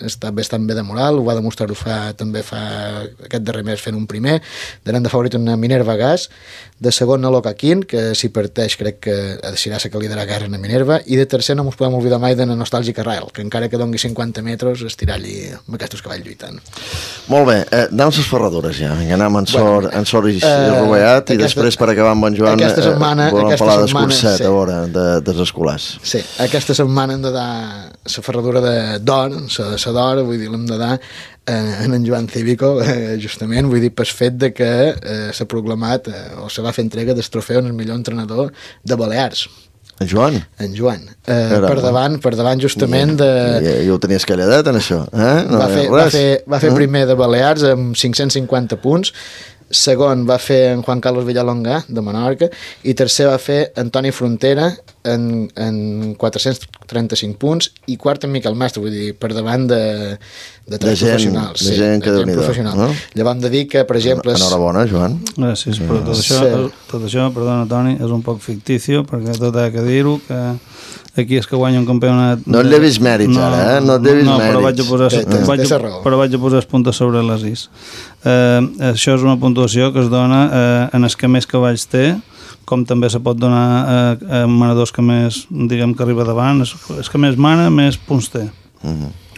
està bastant bé de moral, ho va demostrar-ho també fa aquest darrer mes fent un primer, darem de favorit una Minerva Gas, de segon a Locaquín, que si parteix crec que serà la que lidera guerra en Minerva, i de tercer no ens podem oblidar mai de Nostàlgic Arrael, que encara que dongui 50 metres estirà allí amb aquests cavalls lluitant. Molt bé, anem a les ferradures ja, anem en Sort i Rovellat, i després per acabar amb en Joan volem parlar d'escurset a veure, dels escolars. Sí, aquesta setmana hem de dar la ferradura d'or, la d'or, vull dir, l'hem de dar en Joan Cívico, justament, vull dir, pel fet de que s'ha proclamat o se va fer entrega del trofeu en el millor entrenador de Balears. En Joan? En Joan. Per davant justament de... I ho tenies calladet, en això? Va fer primer de Balears amb 550 punts, segon va fer en Juan Carlos Villalonga de Menorca i tercer va fer Antoni Frontera en 435 punts i quart en Miquel Mestre, vull dir, per davant de tres professionals. De gent que professional. No? Llavors hem de dir que, per exemple... Enhorabona, Joan. Gràcies, però tot això, perdona, Toni, és un poc ficticio, perquè tot ha que dir-ho, que aquí és que guanya un campionat... No et llevis mèrits, ara, no et llevis mèrits. Però vaig a posar els punts sobre les is. Això és una puntuació que es dona en els que més cavalls té, com també se pot donar a manadors que més, diguem, que arriba davant. És que més mana, més punts té.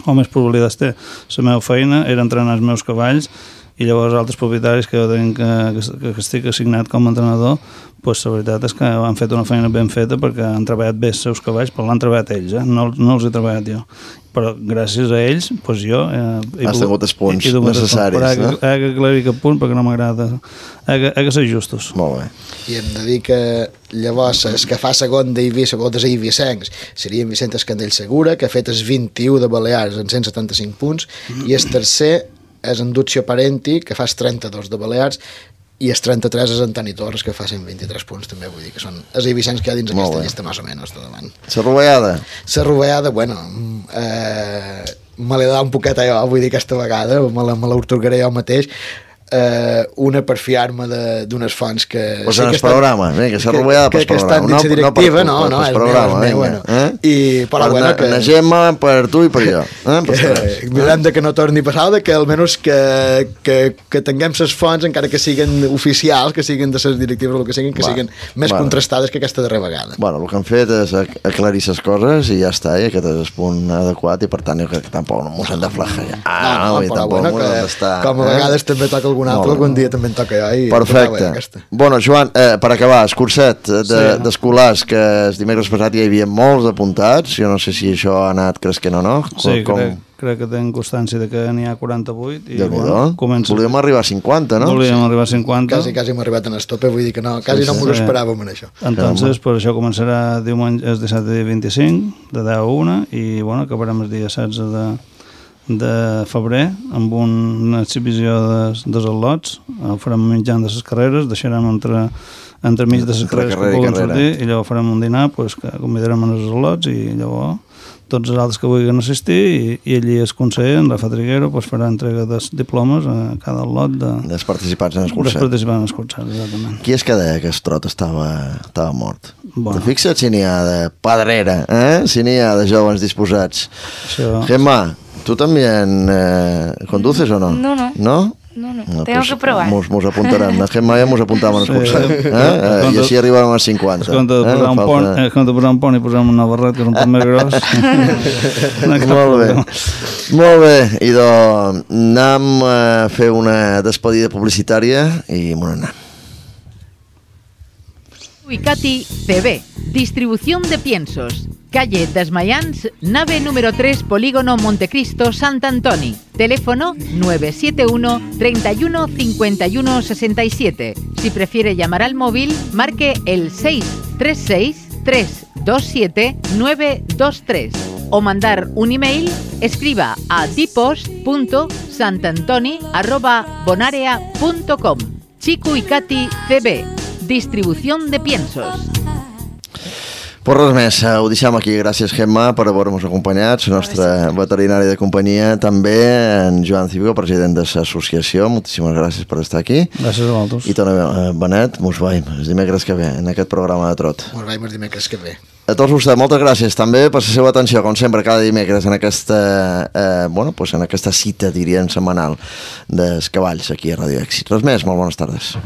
O més probabilitats té. La meva feina era entrenar els meus cavalls i llavors altres propietaris que jo tenc que estic assignat com a entrenador, doncs la veritat és que han fet una feina ben feta perquè han treballat bé els seus cavalls, però l'han treballat ells, no els he treballat jo. Però gràcies a ells, doncs jo... Has tingut els punts necessaris, no? He d'aclarir aquest punt perquè no m'agrada. He de ser justos. Molt bé. I hem de dir que llavors el que fa segon d'Eivissa Eivissencs seria en Vicent Escandell Segura, que ha fet els 21 de Balears en 175 punts, i el tercer és en Duccio Parenti, que fa els 32 de Balears, i els 33 és Antoni Torres, que fa 123 punts també, vull dir que són els Eivissencs que hi ha dins aquesta llista més o menys de davant. La rovellada? La rovellada, bueno, me l'he de dar un poquet a jo, vull dir aquesta vegada, me l'autorgaré jo mateix, una per fiar-me d'unes fonts que... Pues en el programa, que s'ha rovellada per programa. Que estan dins la directiva, no, és meu, bueno. Per la Gemma, per tu i per jo. Mirem que no torni a passar, que almenys que tinguem les fonts, encara que siguin oficials, que siguin de les directives o el que siguin més contrastades que aquesta darrera vegada. Bueno, el que han fet és aclarir les coses i ja està, i aquest és el punt adequat, i per tant jo crec que tampoc no m'ho s'han de flajar. Però bueno, com a vegades també toca algun algun dia també en toca jo. Perfecte. Bueno, Joan, per acabar, escurset d'escolars, que el dimecres passat hi havia molts apuntats, jo no sé si això ha anat cresquent o no. Sí, crec que tenen constància de que n'hi ha 48 i comença... Volíem arribar a 50, no? Volíem arribar a 50. Quasi hem arribat en estope, vull dir que no, quasi no m'ho esperàvem en això. Entonces, pues això començarà diumenge, el dissabte dia 25, de 10 a 1, i bueno, acabarem el dia 16 de febrer amb una exhibició de al·lots. Farem menjant de les carreres, deixarem entremig de les carreres que puguin sortir, i llavors farem un dinar que convidarem els al·lots, i llavors tots els altres que vulguin assistir, i allí el conseller, en Rafa Triguero, farà entrega dels diplomes a cada al·lot dels participants en el curset. Dels participants en el curset, exactament. Qui és que deia que el trot estava mort? Te fixa't si n'hi ha de pedrera, si n'hi ha de joves disposats. Gemma, ¿tú también conduces o no? No, tengo que probar. Mos apuntarem. A Gemma ja mos apuntàvem al curset. I així arribarem als 50. És com de posar un pont i posar una barret, que és un poc més gros. Molt bé. Idò, anem a fer una despedida publicitària i m'ho anem. Uicati CB, distribución de piensos. Calle Desmayans, nave número 3, Polígono Montecristo, Sant Antoni. Teléfono 971 31 51 67. Si prefiere llamar al móvil, marque el 636 327 923. O mandar un email, escriba a dipos.santantoni@bonarea.com. Chico y Cati CB, distribución de piensos. Pues res més, ho deixem aquí. Gràcies, Gemma, per haver-nos acompanyat, la nostra veterinària de companyia, també en Joan Cívico, president de l'associació. Moltíssimes gràcies per estar aquí. Gràcies a vosaltres. I Toni Benet, mos veiem el dimecres que ve en aquest programa de trot. Mos veiem el dimecres que ve. A tots vostès, moltes gràcies també per la seva atenció, com sempre, cada dimecres en aquesta, en aquesta cita, diríem, setmanal dels cavalls aquí a Radio Èxit. Res més, molt bones tardes.